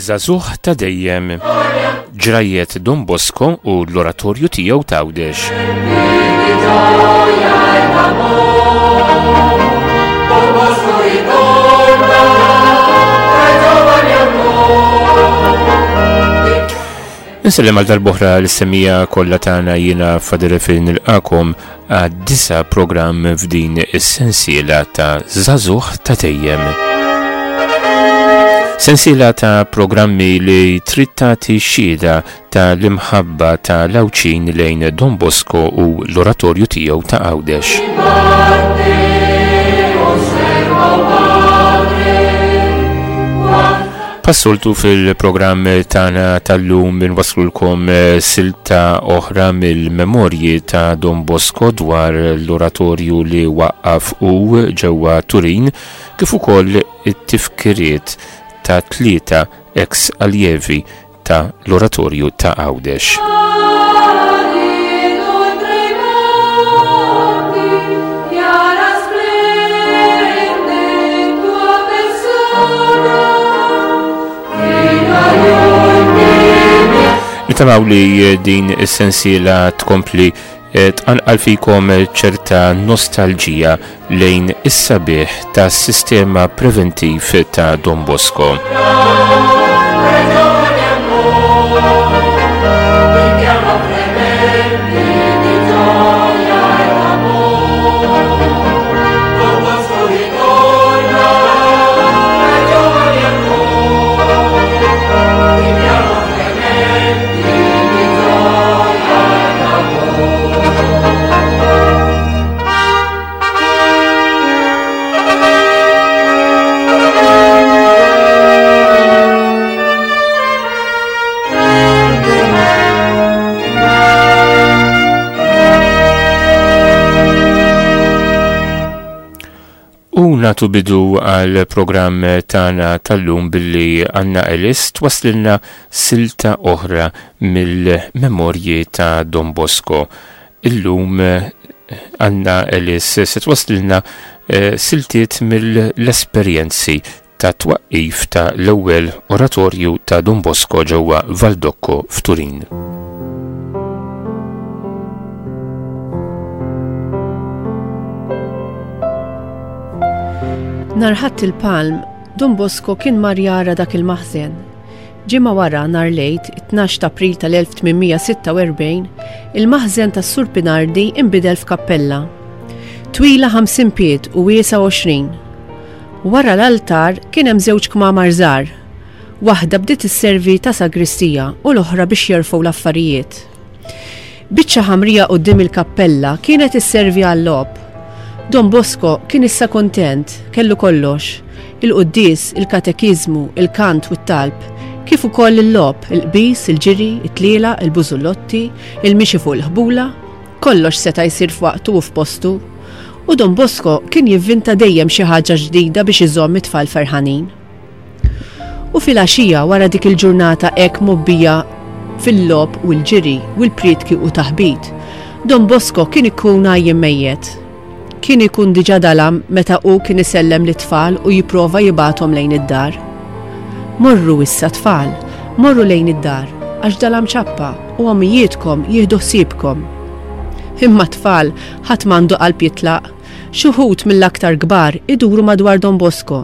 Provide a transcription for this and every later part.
Żagħżugħ ta' dejjem, ġrajjet Don Bosco u l-oratorju tiegħu t'Għawdex. Insellem għal darbohra l-semija kollha tagħna jiena Fader Efil nilqakom għad-disa programm f'din is-sensiela ta' Żagħżugħ ta' Dejjem. Sensiela ta' programmi li trid tagħti xhieda ta' l-imħabba ta' l-Għawdxin lejn Don Bosco u l-oratorju tiegħu ta' Għawdex. Passoltu fil-programm tagħna tal-lum inwasslulkom eh, silta oħra mill-memorji ta' Don Bosco dwar l-oratorju li waqqaf u ġewwa Turin kif ukoll it-tifkiriet ta' tlieta ex allievi ta' l-Oratorju ta' Għawdex. Nitamaw li din is-sensiela tkompli eh, tqanqal fikom ċerta nostalġija lejn is-sabiħ tas-sistema preventiv ta' Don Bosco. U natu bidu għal programm tagħna tal-lum billi Anna Ellis twaslilna silta oħra mill-memorji ta' Don Bosco. Illum Anna Ellis se twasslilna siltiet mill-esperjenzi ta' twaqqif ta' l-ewwel oratorju ta' Don Bosco ġewwa Valdocco f'Turin. Nhar Ħadd il-Palm, Don Bosco kien mar jara dak il-maħżen. Ġimgħa wara, nhar l-Għid, it-tnax t'April tal-1846, il-maħżen tas-Sur Pinardi inbidel f'kappella. Twila 50 pied u wiesgħa 20. Wara l-altar kien hemm żewġ kmamar żgħar. Waħda bdiet isservi ta' sagristija u l-oħra biex jerfgħu l-affarijiet. Biċċa ħamrija quddiem il-kappella kienet isservi għal-logħob. Don Bosco kien issa kuntent, kellu kollox, il-quddies, il-katekiżmu, il-kant u t-talb, kif ukoll il-logħob, il-qbiż, il-ġiri, it-tlielaq, il-bużullotti, il-mixi fuq il-ħbula, kollox seta' jsir f'waqtu u f'postu. U Don Bosco kien jivvinta dejjem xi ħaġa ġdida biex iżomm it-tfal ferħanin. U filgħaxija wara dik il-ġurnata hekk mgħobbija fil-logħob u l-ġiri u l-prietki u taħbit, Don Bosco kien ikun għajjien mejjet. Kien ikun diġà dalam meta hu kien isellem lit-tfal u jipprova jibgħathom lejn id-dar. Morru issa tfal, morru lejn id-dar, għax dalam ċappa u ommijietkom jieħdu ħsiebkom. Imma t-tfal ħadd m'għandu qalb jitlaq. Xi wħud mill-aktar kbar iduru madwar Don Bosco.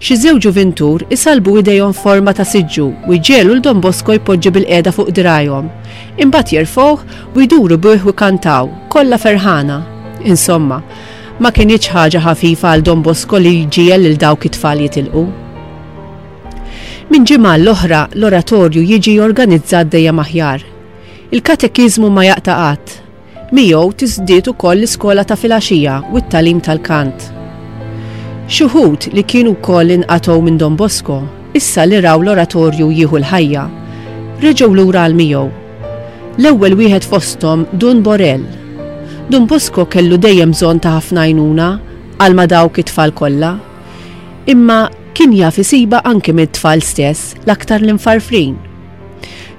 Xi żewġ ġuvintur isallbu idejhom f'forma ta' siġġu u jġegħlu 'l Don Bosco jpoġġi bilqiegħda fuq dirgħajhom. Imbagħad jerfgħuh u jduru bih u jkantaw, kollha ferħana. Insomma, ma kinitx ħaġa ħafifa għal Don Bosco li jġiegħel lil dawk it-tfal jitilqu. Minn ġimgħa għall-oħra l-oratorju jiġi organizzat dejjem aħjar. Il-katekiżmu ma jaqta' qatt. Miegħu tiżdied ukoll l-iskola ta' filgħaxija u t-tagħlim tal-kant. Xi wħud li kienu wkoll inqatgħu minn Don Bosco, issa li raw l-oratorju jieħu l-ħajja, reġgħu lura għal miegħu. L-ewwel wieħed fosthom Dun Borel. Dun Bosco kellu dejjem bżonn ta' ħafna għajnuna għal ma' dawk it-tfal kollha. Imma kien jaf isibha anki mit-tfal stess, l-aktar l-imfarfrin.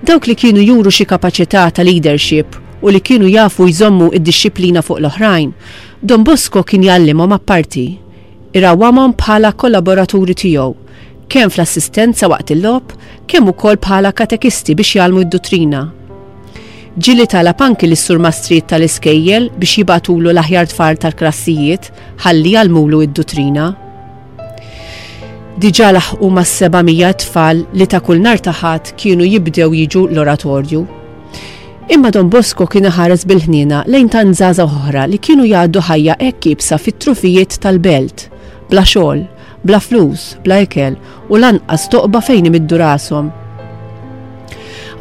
Dawk li kienu juru xi kapaċità ta' leadership u li kienu jafu jżommu d-dixxiplina fuq l-oħrajn, Don Bosco kien jgħallimhom apparti. Irawwamhom bħala kollaboraturi tiegħu. kemm fl-assistenza waqt il-logħob, kemm ukoll bħala katekisti biex jgħallmu d-duttrina. Ġieli talab anki lis-surmastrijiet tal-iskejjel biex jibagħtulu l-aħjar tfal tal-klassijiet ħalli jgħallmulu d-duttrina. Diġà laħqu mas-700 tfal li ta' kull nhar ta' Ħadd kienu jibdew jiġu l-oratorju. Imma Don Bosco kien iħares bil-ħniena lejn tant żgħażagħ oħra li kienu jgħaddu ħajja hekk iebsa fit-trufijiet tal-belt, bla xogħol, bla flus, bla ikel u lanqas toqba fejn imiddu rashom.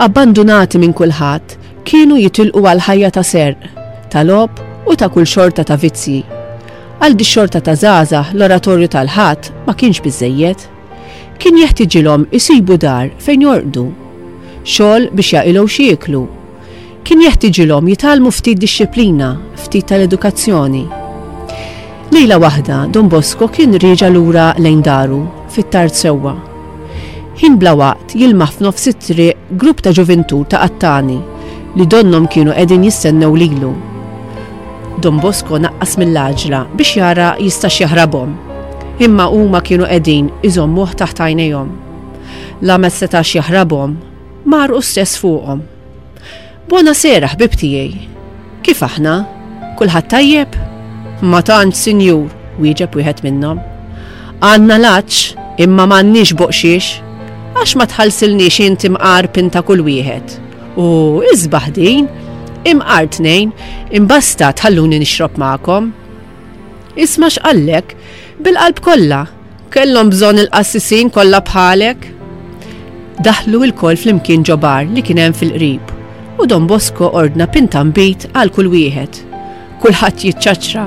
Abbandunati minn kulħadd, kienu jitilqu għal ħajja ta' serq, ta' logħob u ta' kull xorta ta' vizzji. Għal dix-xorta ta' żgħażagħ l-oratorju tal-Ħadd ma kienx biżżejjed. Kien jeħtiġilhom isibu dar fejn jorqdu, xogħol biex jaqilgħu x'jieklu. Kien jeħtiġilhom jitgħallmu ftit dixxiplina, ftit tal-edukazzjoni. Lejla waħda Don Bosco kien rieġa' lura lejn daru, fit-tard sewwa. Ħin bla waqt jilmaħ f'nofs it-triq grupp ta' ġuvintur ta' qattani li donnhom kienu qegħdin jistennew lilu. Don Bosco naqqas mill-għaġla biex jara jistax jaħrabhom. Imma huma kienu qegħdin iżommuh taħt għajnejhom. La ma setax jaħrabhom, mar hu stess fuqhom. Buona sera, ħbieb tiegħi. Kif aħna? Kulħadd tajjeb? Ma tantx, sinjur, wieġeb wieħed minnhom. Għandna l-għatx, imma m'għandniex boqxiex. Għax ma tħallsilniex int imqar pinta kull wieħed? U isbaħ din, imqar tnejn, imbasta tħalluni nixrob magħkom. Isma' x'qallek, bil-qalb kollha, kellhom bżonn il-qassisin kollha bħalek. Daħlu lkoll flimkien ġo bar li kien hemm fil-qrib u Don Bosco ordna pinta nbid għal kull wieħed. Kulħadd jiċċaċċra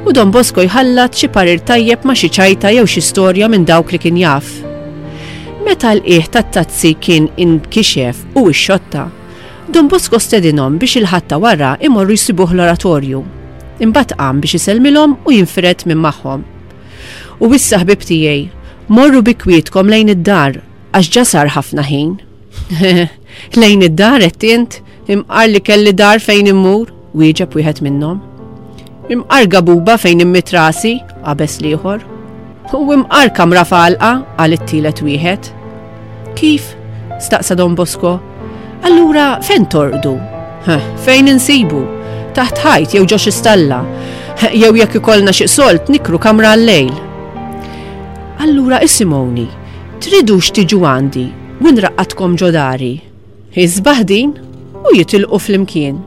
u Don Bosco jħallat xi parir tajjeb ma' xi ċajta jew xi storja minn dawk li kien jaf. Meta l-qiegħ tat-tazzi kien inkixef u ixxotta, Don Bosco stedinhom biex il-Ħadd ta' wara imorru jsibuh l-oratorju. Imbagħad qam biex isellmilhom u jinfired minn magħhom. U issa ħbieb tiegħi, morru bi kwietkom lejn id-dar għax ġa sar ħafna ħin. Lejn id-dar għedt int? Imqar li kelli dar fejn immur, wieġeb wieħed minnhom. Imqar gabuba fejn immit rasi, qabeż l-ieħor. U imqar kamra f'għalqa, qal it-tielet wieħed. Kif? staqsa Don Bosco. Allura fejn torqdu? Fejn insibu? Taħt ħajt jew ġo xi stalla. Jew jekk ikollna xi solt nikru kamra għal-lejl. Allura isimgħuni, tridux tiġu għandi u nraqqadkom ġo dari? Isbaħ din! U jitilqu flimkien.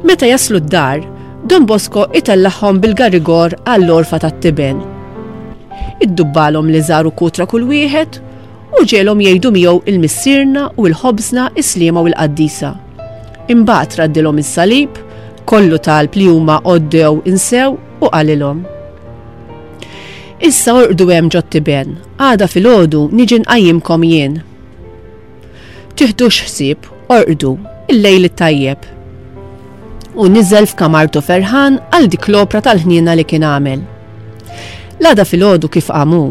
Meta jaslu d-dar, Don Bosco itellagħhom bil-garigor għall-għorfa tat-tiben. Iddubbalhom liżar u kutra kull wieħed u ġegħelhom jgħidu miegħu il-Missierna u l-Ħobżna, is-Sliema u l-Qaddisa. Imbagħad raddilhom is-salib, kollu talb li huma għoddew insew u qalilhom. Issa orqdu hemm ġot-tiben, għada filgħodu niġi nqajjimkom jien. Tiħdux ħsieb, orqdu, il-lejl it-tajjeb. U niżel f'kamartu ferħan għal dik l-opra tal-ħniena li kien għamel. L-għada filgħodu kif qam hu,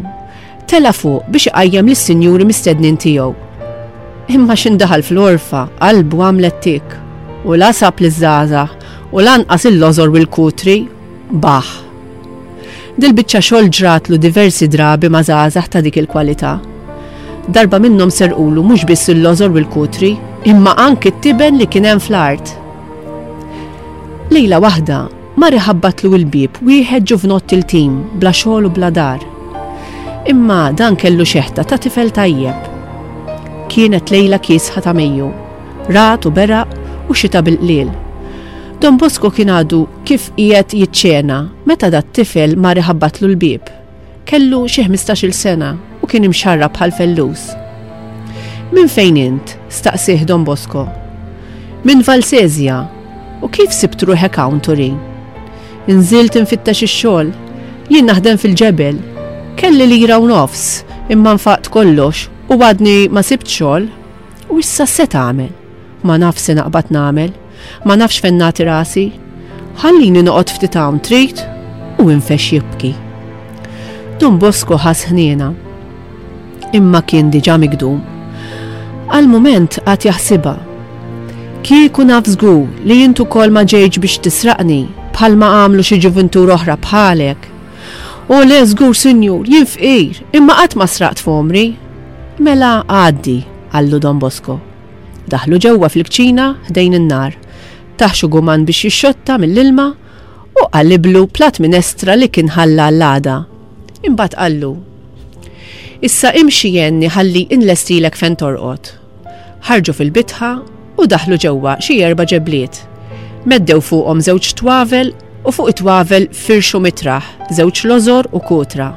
tela' fuq biex iqajjem lis-sinjuri mistednin tiegħu. Imma x'indaħal fl-għorfa, qalbu għamlet tik, u la sab liż-żgħażagħ u lanqas il-lożor u l-kutri, baħ. Dil-biċċa xogħol ġratlu diversi drabi ma' żgħażagħ ta' dik il-kwalità. Darba minnhom serqulu mhux biss il-lożor u l-kutri, imma anki t-tiben li kien hemm fl-art. Lejla waħda, mar iħabbatlu l-bieb wieħed ġuvnott iltim, bla xogħol u bla dar. Imma dan kellu xeħta ta' tifel tajjeb. Kienet lejla kiesħa ta' Mejju. Ragħad u beraq u xita bil-qliel. Don Bosco kien għadu kif qiegħed jiċċena meta dat-tifel mar iħabbatlu l-bieb. Kellu xi ħmistax-il sena u kien imxarrab bħal fellus. Minn fejn int? staqsieh Don Bosco. Minn Valsesia. U kif sibt ruħek hawn Turin? Inżilt infittex ix-xogħol. Jien naħdem fil-ġebel. Kelli lira u nofs, imma nfaqt kollox u għadni ma sibt xogħol. U issa x'se tagħmel? Ma nafx se naqbad nagħmel. Ma nafx fejn nagħti rasi. Ħallini noqgħod ftit hawn trid? U infexx jibki. Don Bosco ħass ħniena. Imma kien diġà migdum. Għal mument qagħad jaħsibha. Kieku naf żgur li int ukoll ma ġejtx biex tisraqni bħalma għamlu xi ġuvintur oħra bħalek. O le żgur sinjur, jien fqir, imma qatt ma sraqt f'għomri. Mela għaddi, qallu Don Bosco. Daħlu ġewwa fil-kċina ħdejn in-nar. Tah xi guman biex jixxotta mill-ilma u qaliblu platt minestra li kien ħalla għall-għada. Imbagħad qallu, Issa imxi għenni ħalli inlestilek fejn torqod. Ħarġu fil-bitħa u daħlu ġewwa xi erba' ġebliet. Meddew fuqhom żewġ twavel u fuq it-twavel firxu mitraħ, żewġ lożor u kutra.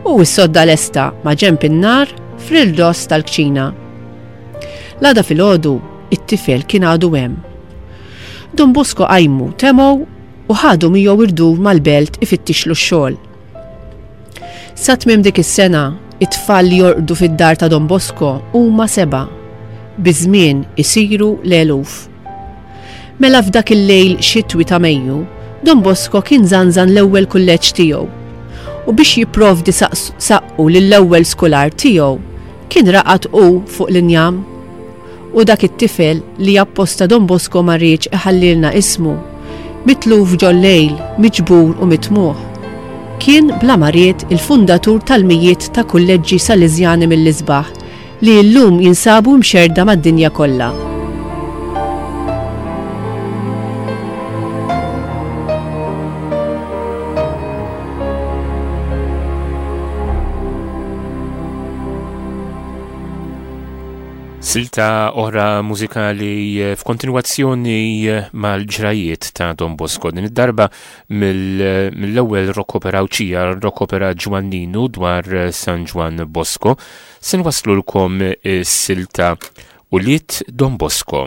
U s-sodda lesta ma' ġenb in-nar fl-irdoss tal-kċina. L-għada filgħodu, it-tifel kien għadu hemm. Don Bosco qajmu, temgħu u ħadu miegħu rdur mal-belt ifittixlu x-xogħol. Sa tmiem dik is-sena, it-tfal li jorqdu fid-dar ta' Don Bosco huma sebgħa. Biż-żmien isiru l-eluf. Mela f'dak il-lejl xitwi ta' Mejju, Don Bosco kien żanżan l-ewwel kulleġġ tiegħu. U biex jipprovdi saqqu lill-ewwel skular tiegħu, kien raqad hu fuq l-injam. U dak it-tifel li apposta Don Bosco ma riedx iħallilna ismu, mitluf ġol-lejl, miġbur u mitmugħ, kien bla ma ried il-fundatur tal-mijiet ta' kulleġġi Sależjani mill-isbaħ li llum jinsabu mxerrda mad-dinja kollha. Silta oħra mużikali eh, f'kontinwazzjoni eh, mal-ġrajiet ta' Don Bosco din id-darba eh, mill-ewwel rock opera Awċija, rock opera Ġwanninu dwar San Ġwann Bosco, se nwaslulkom silta Ulied Don Bosco.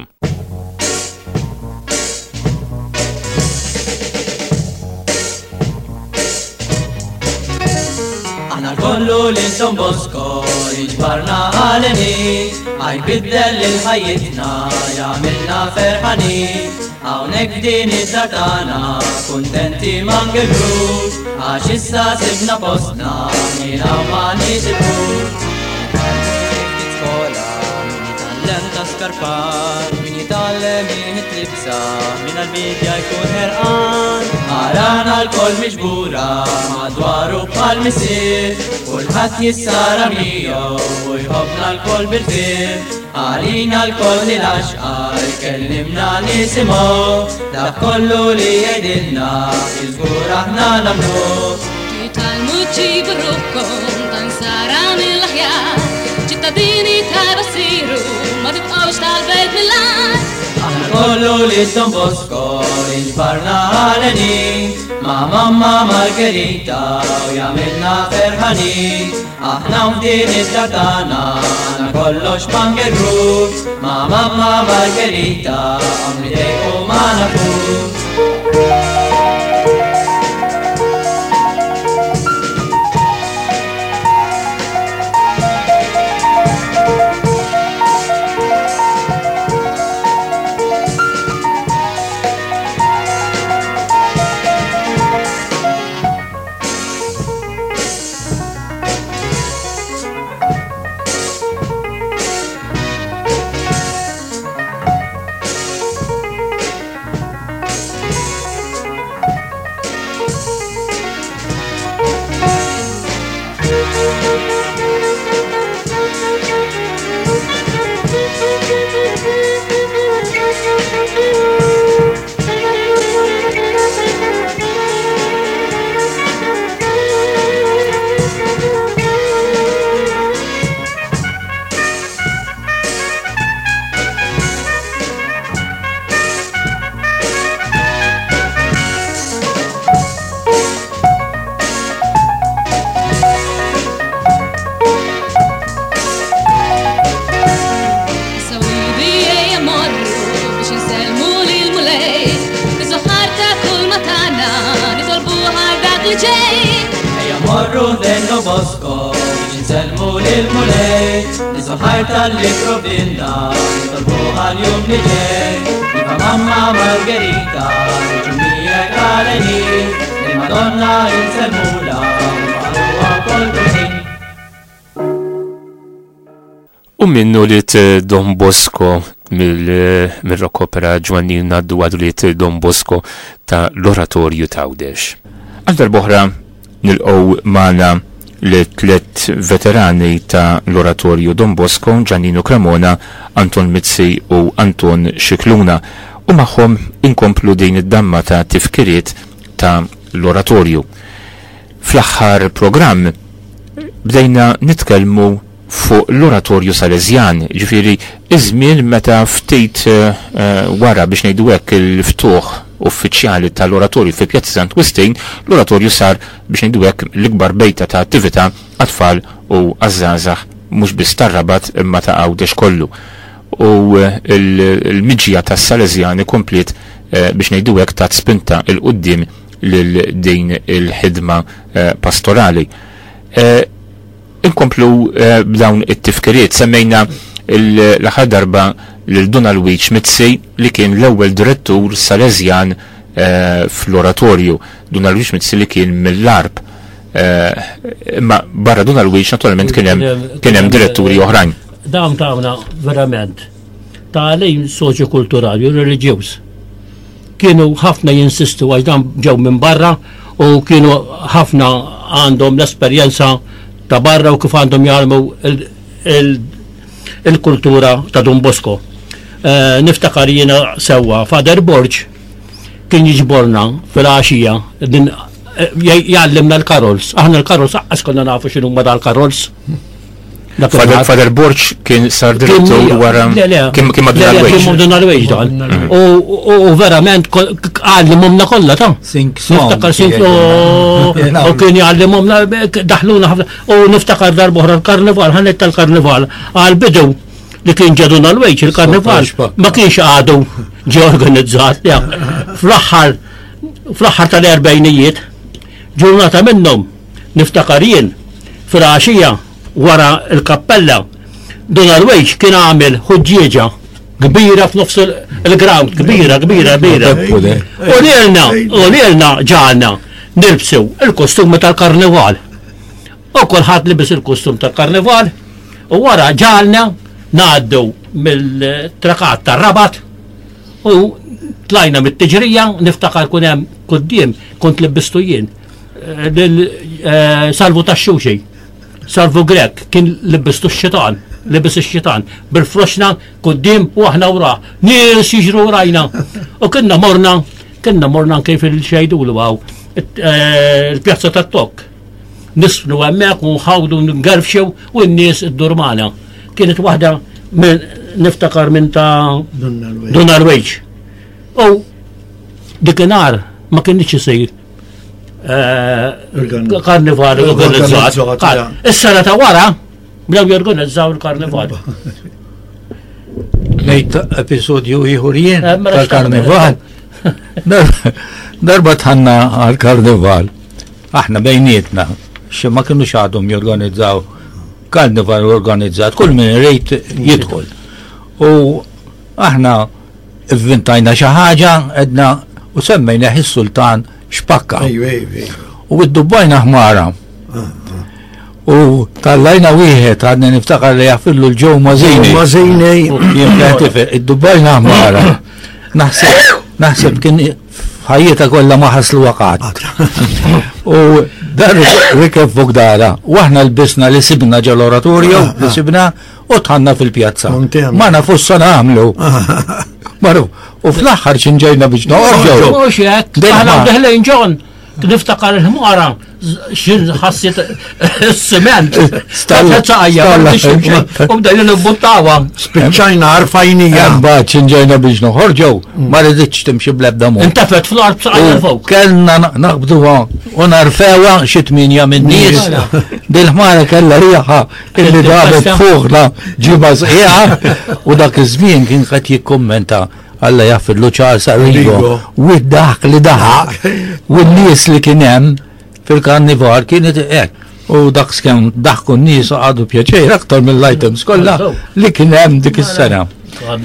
Aħna kollu lil Don Bosco iġbarna għaleni, għaj biddel lil ħajjitna jagħmilna ferħani. Hawnhekk f'din id-dar tagħna kuntenti ma ngegrux, għax issa sibna postna minn hawn ma nitilqux. Skola, min jitgħallem ta' skarpar, min jitgħallem iħit libsa, min għall-bidja jkun ħerqan. Arana lkoll miġbura madwaru bħal missier, kulħadd jissara miegħu u jħobbna lkoll bil-fir. Għalina lkoll li l-għaxqa jkellimna nisimgħu, dak kollu li jgħidilna iżgur aħna nagħmluh. Titgħallmu ġġibu ruħkom ta' nsara mill-aħjar, ċittadini tajba ssiru, ma tibqgħux tal-belt mill-agħar. Aħna kollu lil Don Bosco inġbarna għalenin, ma' mamma Margherita u jagħmilna ferħanin. Aħna f'din id-dar tagħna għandna kollox ma ngerrux, ma' mamma Margherita hawn nidejqu ma nafux. Bosco biex insellmu lill-Mulej, niżu tal-li provdilna, nitolbu għal-jum li ġej. Iva mamma Margherita, niġu miegħek għaleni, il-Madonna insellmula, nfaħruha kol kull U minnu li Don Bosco mill-rock opera Ġwannin ngħaddu għadu li Don Bosco ta' l-Oratorju t'Għawdex. Għal darb'oħra. Nilqgħu magħna lit-tlett veterani ta' l-Oratorju Don Bosco, Giannino Cremona, Anton Mizzi u Anton Scicluna, u magħhom inkomplu din id-damma ta' tifkiriet ta' l-Oratorju. Fl-aħħar programm bdejna nitkellmu fuq l-Oratorju Salesjan, jiġifieri iż-żmien meta ftit wara biex ngħidu hekk il-ftuħ uffiċjali tal-Oratorju fi Pjazza Sant Wistin, l-Oratorju sar biex ngħidu hekk l-ikbar bejta ta' attività għat-tfal u għaż-żgħażagħ mhux biss tar-Rabat imma ta' Għawdex kollu. U l-miġja tas-Salesjani kompliet biex ngħidu hekk tat spinta 'l quddiem lil din il-ħidma pastorali. Inkomplu b'dawn it-tifkiriet. Semmejna l-aħħar darba lil Dun Alwiġ Mizzi li kien l-ewwel direttur Salesjan fl-Oratorju. Dun Alwiġ Mizzi li kien mill-Għarb. Imma barra Dun Alwiġ naturalment kien hemm kien hemm diretturi oħrajn. Dawn tawna verament tagħlim soċjokulturali u reliġjuż. Kienu ħafna jinsistu għax dan ġew minn barra u kienu ħafna għandhom l-esperjenza ta' barra u kif għandhom jgħallmu il-kultura ta' Don Bosco. Eh, niftakar jiena sewwa Father Borg kien jiġborna fil-għaxija din eh, jgħallimna l-karols. Aħna l-karols aqqas konna nafu x'inhuma dal-karols. Father Borg kien sar direttur wara kien kien madwar Kien madwar Wage dan. Mm. U verament għallimhomna kollha ta' Niftakar sing u kien jgħallimhomna daħluna ħafna. U niftakar darb'oħra l-karnival, ħanet tal-karnival għal bidu li kien ġadu l-wejġ il-karnival ma kienx għadu ġie organizzat. Fl-aħħar fl-aħħar tal-erbejnijiet ġurnata minnhom Niftakar jien, filgħaxija wara l-kappella, Dun Alwejx kien għamel ħuġġieġa kbira f'nofs il-ground, kbira, kbira, kbira. U lilna, u lilna ġalna nilbsu il-kostumi tal-karnival. U kulħadd libes il-kostum tal-karnival u wara ġalna ngħaddu mill-trakat tar-Rabat u tlajna mit-tiġrija, niftakar kun hemm quddiem kont libbistu jien. Lil eh, Salvu tax-Xuxi, Salvu Grek kien libbistu x-xitan, libis ix-xitan, bil-froxna quddiem u aħna wra, nies jiġru rajna. U kienna morna, kienna morna anke fil-xejdulu għaw, eh, il-pjazza tat-Tokk. Nisfnu hemmhekk u nħawdu ngerfxew u n-nies id-durmana. Kienet waħda niftakar minn ta' Dun Alwejġ. U dikinhar ma kienx isir Eh, karnival organizzat. Is-sena ta' wara bdew jorganizzaw il-karnival. Ngħid episodju ieħor jien eh, mela tal-karnival. Darba tħanna għal-karnival. Aħna bejnietna, xi ma kienux għadhom jorganizzaw karnival organizzat, kull min irid jidħol. U aħna Ivvintajna xi ħaġa, għedna u semmejnieh is-Sultan Xpakka. U iddubbajna ħmara. Ah, ah. U tallajna wieħed għadni niftakar li jafillu l-ġew mażini. Mażini. Iddubbajna ħmara. Naħseb, naħseb kien ħajjita kollha ma ħaslu waqat. U dar rikeb fuq dara. U aħna lbisna li sibna ġol-oratorju, ah, li sibna U tħanna fil-pjazza. Ma nafux sa nagħmlu. Maru, u fl-aħħar xinġejna biex noqorġu. Mhux hekk, aħna deħlin ġon. Niftakar il-ħmara, xin ħassit il-siment. Stalla ċajja, u bdejna nibbuttawa. Spiċċajna arfajnija. Mbagħad xinġejna biex noħorġu, ma riditx timxi bl-ebda mod. Intefet fl-art saqajja fuq. Kellna naqbduha u narfewha xi tminja minn nies. Dil-ħmara kellha riħa Illi damet fuqna ġimgħa sħiħa u dak iż-żmien kien qed jikkummenta Alla jaffidlu Charles Arrigo u d-daħk li daħaq u n-nies li kien hemm fil-karnival kienet hekk. U dak skemm daħku n-nies għadu pjaċir aktar mill-items kollha li kien hemm dik is-sena.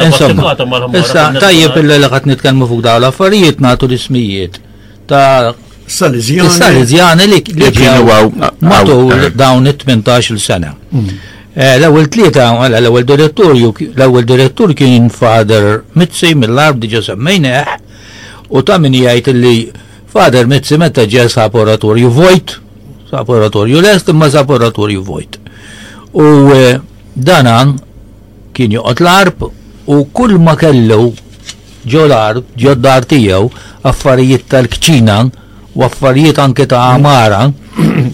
Insomma, issa tajjeb illi li qed nitkellmu fuq dawn l-affarijiet nagħtu l-ismijiet ta' Salesiani. Salesiani li kienu matul eh. dawn it-18 sena. Mm. Eh, l-ewwel tlieta, mela, l-ewwel direttur, l-ewwel direttur kien Father Mizzi mill-Arb diġa semmejnieh u ta' min jgħid li Father Mizzi meta ġie sab oratorju vojt. Sab oratorju lest imma sab oratorju vojt. U eh, dana kien joqgħod l-arb u kull ma kellu ġo l-arb, ġo d-dar tiegħu, affarijiet tal-kċina u affarijiet anke ta' għamara,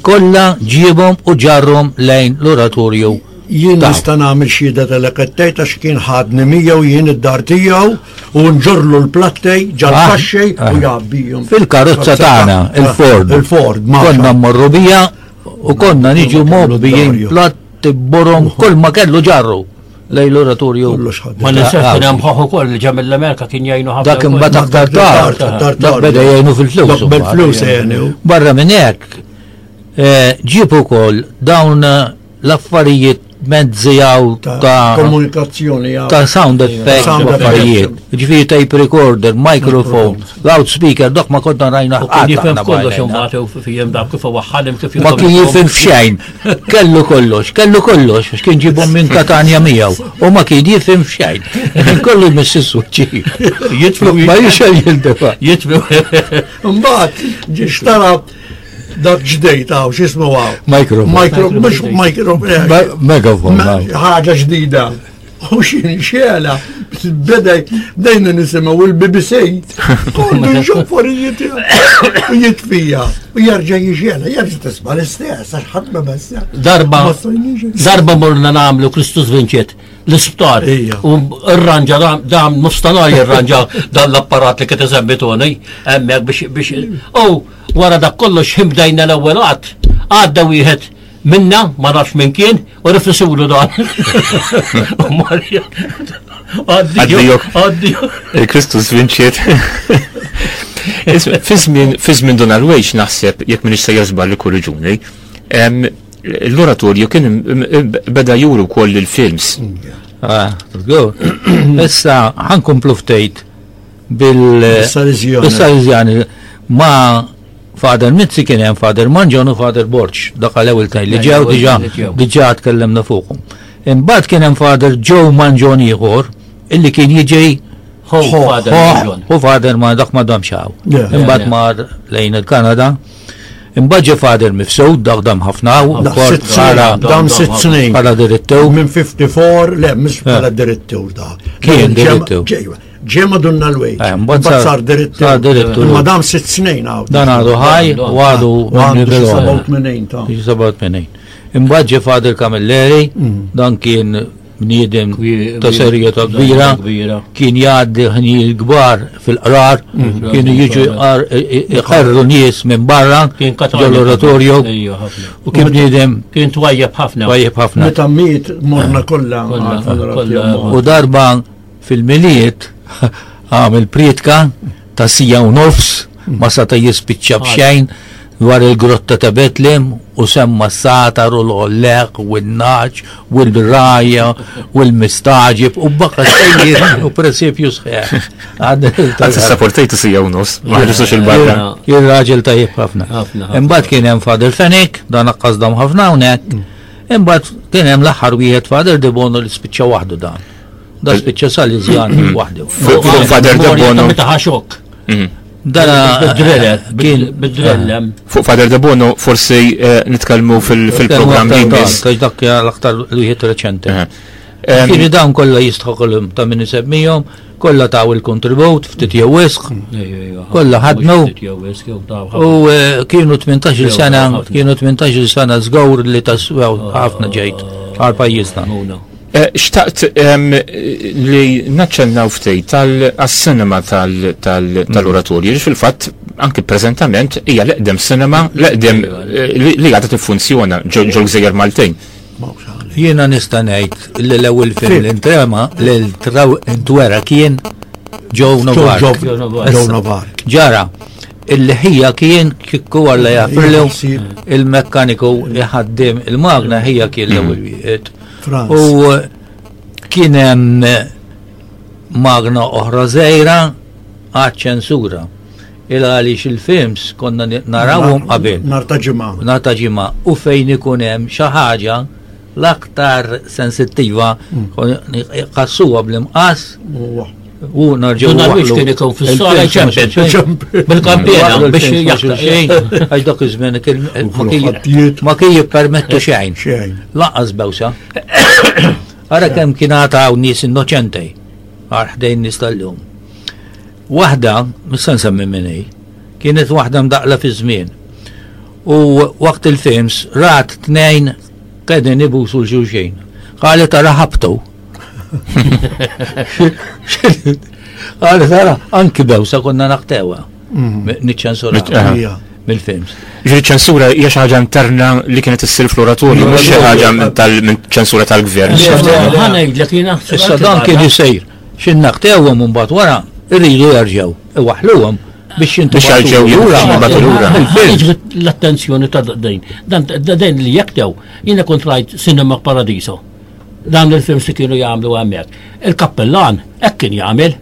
kollha ġiebhom u ġarrhom lejn l-oratorju. Jien nista' nagħmel xhieda tal-ekettejt għax kien ħadni miegħu jien id-dar tiegħu u nġorlu l-plattej ġal-kaxxej ah, u ah. jgħabbihom. Fil-karozza tagħna, ah, il-Ford. Il-Ford, ma. Konna mmorru bija u konna niġu mobbijin platti borom kull ma kellu ġarru lejn l-oratorju. Ma ninsiex kien hemm ħoħ ukoll li ġa mill-Amerika kien jgħinu ħafna. Dak imbagħad aktar tard, dak beda jgħinu fil-flus. Bil-flus jgħinu. Barra minn hekk, eh, ġib ukoll dawn l-affarijiet mezzi għaw ta' komunikazzjoni ta' sound effects Sound affarijiet. Ġifieri tape recorder, microphone, loudspeaker, dok ma konna rajna U kien jifhem aħna kollox bajna. imbagħad u fihim dak kif waħħalim kif Ma kien jifhem f'xejn. Kellu kollox, kellu kollox, għax kien ġibhom minn Katanja miegħu u ma kien jifhem f'xejn. Kien kollu jmiss is-suċċi. Jitfu Ma jixel jildefa. jitfu. Mbagħad ġie xtara dak ġdejt hawn x'ismu hawn. Microphone. Micro, mhux micro. eh, Megaphone. ħaġa ġdida. U xin xela, beda bdejna nisimgħu il-BBC. Kollu xoforijiet u jitfija. U jerġa' jixela, jerġa' tisma' l-istess, għax ħadd ma messa. Darba Ma stajniex. darba morna nagħmlu Kristus Vinċet l-isptar Ija. u rranġa dam- dam nofstanhar jirranġa dan l-apparat li kien isemmi Tony hemmhekk biex biex u wara dak kollox ħin bdejna l-ewwel qatt għadda wieħed minna ma nafx min kien u rifisulu dan. U Marja Addio, Addio. addio. Il-Kristus vinċiet. Fi żmien Donald Wage naħseb jekk minix sejjer żball ikkorriġuni, em, l-oratorju kien im- im- beda juru wkoll il-films. Ah, go. Issa ħankomplu ftejt bil Bis-Salesjani. bis-Salesjani ma Father Mizzi kien hemm Father Manġon u Father Borġ, dak għal ewwel tnejn li ġew L-ewwel diġà li ġew. diġà tkellimna fuqhom. Imbagħad kien hemm Father Joe Manġon ieħor illi kien jiġi Ho, Father Manġon. u Father ma dak ma damx hawn. Yeah. Imbagħad Yeah. mar lejn il-Kanada. Imbagħad ġie Father Mifsud, dak dam ħafna hawn, Dak ukoll sitt snin, bħala dam sitt snin. bħala direttur. Minn 54, le, mhux bħala direttur da. Kien direttur. Ġie madunna l-wejt. Eh, mbagħad Mbagħad sar- sar direttur. sar direttur. Imma dam sitt snin hawn. Dan għadu ħaj u għadu U għandu xi minn 87 ta' Xi 87. Imbagħad ġie Father Camilleri, dan kien bniedem ta' serjetà kbira, Kbira. kien jgħaddi ħnijiet kbar fil-qrar, kienu jiġu jqar- iqarru nies minn barra Kien Katanja. ġol-oratorju Ejja, ħafna. u kien bniedem Kien twajjeb ħafna. tajjeb ħafna. Meta miet morna kollha. Kollha, għal-funeral kollha. tiegħu. U darba fil-miliet għamil prietka ta' sija u nofs ma sata jispiċċa b'xejn dwar il-grotta ta' Betlem u semma s-satar u l-olleq u n-naċ u l-raja u l-mistaġib u baka sejjer u presepju sħiħ. Għad sapportejtu sija u nofs, ma ħarġux il-barra. Kien raġel tajjeb ħafna. Ħafna, ħafna. Imbagħad kien hemm Father Fenech, dan aqqas dam ħafna hawnhekk. Imbagħad kien hemm l-aħħar wieħed Father De Bono li spiċċa waħdu dan. Da spiċċa Salesian waħdu. Fuq Father De Bono. Meta ħaxok. Dana Bid-drelle, kien bid-drelle. Fuq Father De Bono forsi eh, nitkellmu fil- fil-programm li jmiss. Tax dak l-aktar wieħed reċenti. Eh. Em, Kienu dawn kollha jistħoqolhom ta' min isemmihom, kollha taw il-kontribut, ftit jew wisq, Kollha ħadmu. U eh, kienu 18 Jew, sena, ħafna. kienu 18 sena żgur li taswew ħafna ġejt għal pajjiżna. Eh, Xtaqt em, li naċċennaw ftit tal-cinema tal-oratorju, li fil-fatt anki preżentament hija l-eqdem cinema, l-eqdem eh, li li għadha tiffunzjona ġol ġol-Gżejjer Maltin. Jiena nista' ngħid li l-ewwel film li ntrema li traw intwera kien Joe Novak. Joe Joe Novak. Ġara, il-ħija kien kikku għalla jafirlu Ħsieb. il-mekkaniku jħaddim il-magna ħija kien l-ewwel wieħed. Franz. U kien hemm magna oħra żgħira għaċ-ċensura. Il għaliex il-films konna narawhom qabel. Nar ta' ġimgħa. Nar ta' ġimgħa u fejn ikun hemm xi ħaġa l-aktar sensittiva qassuha bl-imqas Huwa. U narġgħu. Dun Alwix kien ikun fis-sala jċempel. Bil-kampjena biex jaqta' xejn. Għax dak iż-żmien ma kien jippermettu xejn. Lanqas bewsa. Ara kemm kien għata hawn nies innoċenti għal ħdejn nies tal-lum. Waħda, mhux se nsemmi min hi, kienet waħda mdaqla fi żmien. U waqt il-films rat tnejn qegħdin ibusu l-xulxin. Qalet ara ħabtu. Qalet ara anki bewsa konna naqtewa. Mhm. Niċċensura. Mill-films. Ġifieri ċensura hija xi ħaġa interna li kienet issir fl-oratorju, mhux xi ħaġa ċensura tal-gvern. Ħa ngħidlek jiena. Issa dan kien isejr. Xi naqtewhom u mbagħad wara jridu jerġgħu iwaħħluhom biex Biex jerġgħu lura. Jintbagħtu lura. Jiġbed l-attenzjoni ta' dejn. Dan dejn li jektew, jiena kont rajt Cinema Paradiso. Dan il-films li kienu jagħmlu hemmhekk. Il-kappellan hekk kien jagħmel.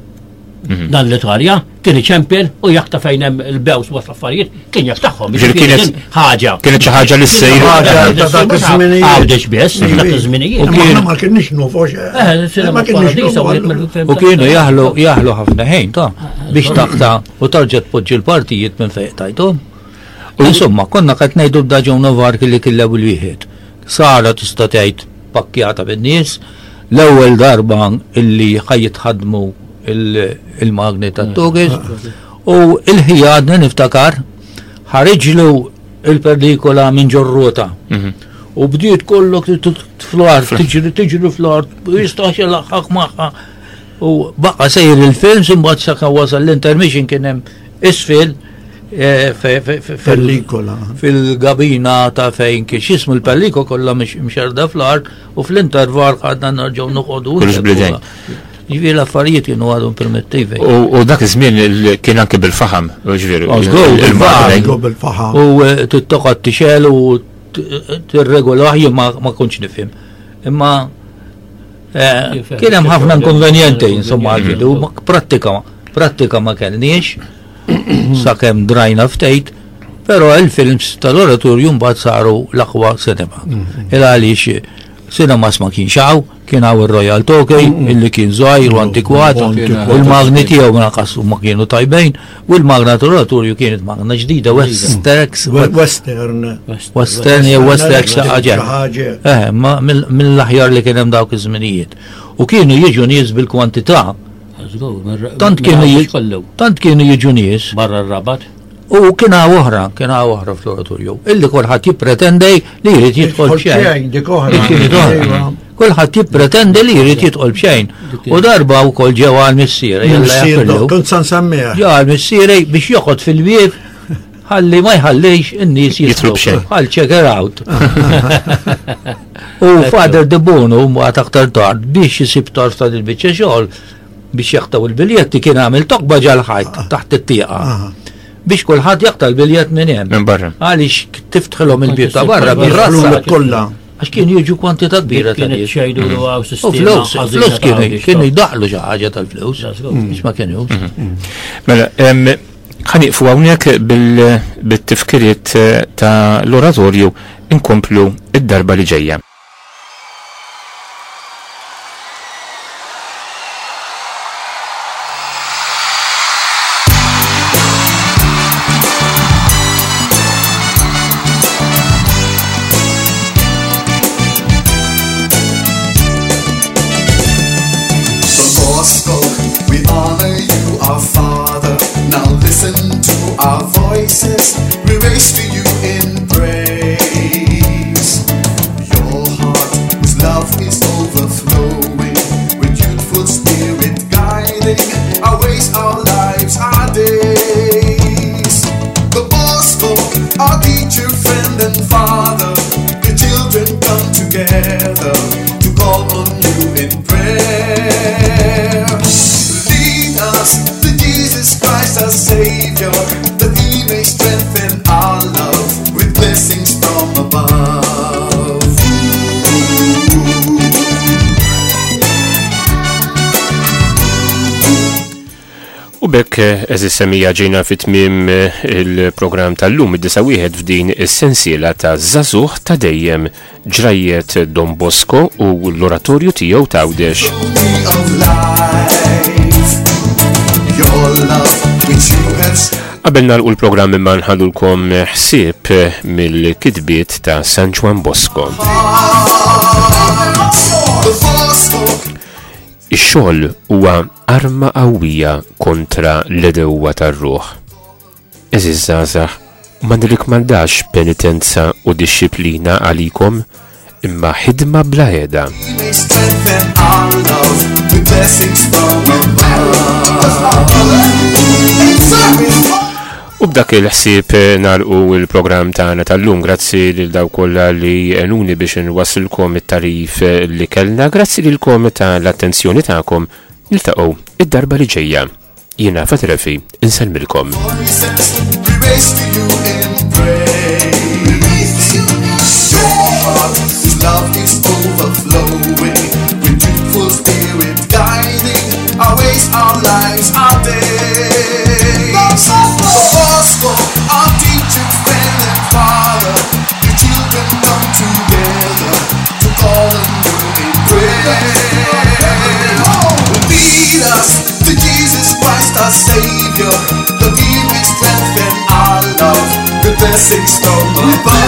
Mhm. Dan l-Italja kien iċempel u jakta fejn hemm il-bews waqt affarijiet kien jaktahom. Kienet ħaġa. Kienet xi ħaġa li ssejr. Ħaġa ta' dak iż-żminijiet. Għawdex biss, dak iż-żminijiet. U kien ma kienx nufu eh, Ma kienx nufu. U kienu jaħlu jaħlu ħafna ħin ta' biex taqta' u tarġa' tpoġġi l-partijiet minn fejn tajthom. Insomma, konna qed ngħidu b'daġun Novark li kien l-ewwel wieħed. Sara tista' tgħid pakkjata bin-nies, l-ewwel darba illi ħa jitħaddmu il-magni tat-togis u il-ħija għadni niftakar ħariġlu il-pellikola minn ġorrota. Mhm. U bdiet kollok fl-art, tiġri tiġri fl-art, jistax ilaħħaq magħha. U baqa sejr il-film, imbagħad sakemm wasal l-intermission kien hemm isfel eh, Pellikola. Fil-gabina ta' fejn kien x'ismu l-pelliko kollha mxerda fl-art u fl-interval għadna nerġgħu noqogħdu. Kollox bl-idejn. Ġifieri l-affarijiet kienu għadhom primittivi. U dak iż-żmien kien anke bil-faħam, ġifieri. bil-faħam. U eh, tittoqgħod tixel u tirregolah jien ma kontx nifhem. Imma eh, kien hemm ħafna inkonvenjenti insomma għal-bidu, prattika prattika ma kellniex sakemm drajna ftejt, però il-films tal-oratorju mbagħad saru l-aqwa cinema. Mm-hmm. Il għaliex cinemas ma kienx hawn, kien hawn ir-Royal Tokey mm-hmm. illi kien żgħir u antikwat, u l-magni tiegħu ma naqas ma kienu tajbejn, u l-magna tal-oratorju kienet magna ġdida Westex. Western. Western jew Westex ħaġa. Eh, mill-aħjar li kien hemm dawk iż-żminijiet. U kienu jiġu nies bil-kwantità Tant kienu tant kienu jiġu nies. Barra r-rabat. U kien hawn oħra, kien hawn oħra fl-oratorju, illi kulħadd jippretendi li jrid jidħol b'xejn. Dik oħra. Kulħadd jippretendi li jrid jidħol b'xejn. U darba wkoll ġew għal missieri. Kont san semmija. Ġew għal missieri biex joqgħod fil-bieb ħalli ma jħallix in-nies jidħlu b'xejn. Għal check out. U Father De Bono mbagħad aktar tard biex isib tarf ta' dil-biċċa xogħol biex jaqtaw il-biljetti kien għamel toqba ġal-ħajt taħt it-tieqa. Biex kulħadd jaqta' l-biljett minn hemm. Minn barra. Għaliex tiftħilhom il-bieb ta' barra bir-rassa kollha. Għax kien jiġu kwantità kbira ta' nies. U flus, flus kienu kienu jdaħlu xi ħaġa tal-flus. Biex ma kienux. Mhm. Mela, ħaniqfu hawnhekk bil-tifkiriet eh, ta' l-oratorju inkomplu id-darba li ġejja. Bosco, we honor you, our Father. Now listen to our voices, we raise to you in praise. Your heart with love is overflowing, with youthful spirit guiding our ways, our lives, our days. The Bosco, our teacher, friend, and father, the children come together to call on you in prayer. Lead us to Jesus Christ, our Savior, that He may strengthen our love with blessings from above. U bekk eżis semija ġejna fit tmiem eh, il-programm tal-lum id-disa wieħed f'din is-sensiela ta' Żagħżugħ ta' dejjem ġrajjiet Don Bosco u l-oratorju tiegħu t'Għawdex. Of life. Your love which you have Qabel nagħlqu l-programm imma nħallulkom ħsieb mill-kitbiet ta' San Ġwann Bosco. Ix-xogħol huwa arma qawwija kontra l-għedewwa tar-ruħ. Għeżież żgħażagħ, ma nirrikmandax penitenza u dixxiplina għalikom, imma ħidma bla heda. U b'dak il-ħsieb nagħlqu l-programm tagħna tal-lum. Grazzi lil dawk kollha li għenuni biex inwasslkom it-tagħrif li kellna. Grazzi lilkom tal-attenzjoni tagħkom. Niltaqgħu id-darba li ġejja. Jiena Fatrefi, insellmilkom. Love is overflowing with youthful spirit guiding our ways, our lives, our days. Bosco, our teacher, friend and father, the children come together to call on you in prayer. Lead us to Jesus Christ, our Savior, that He may strengthen our love with blessings from above.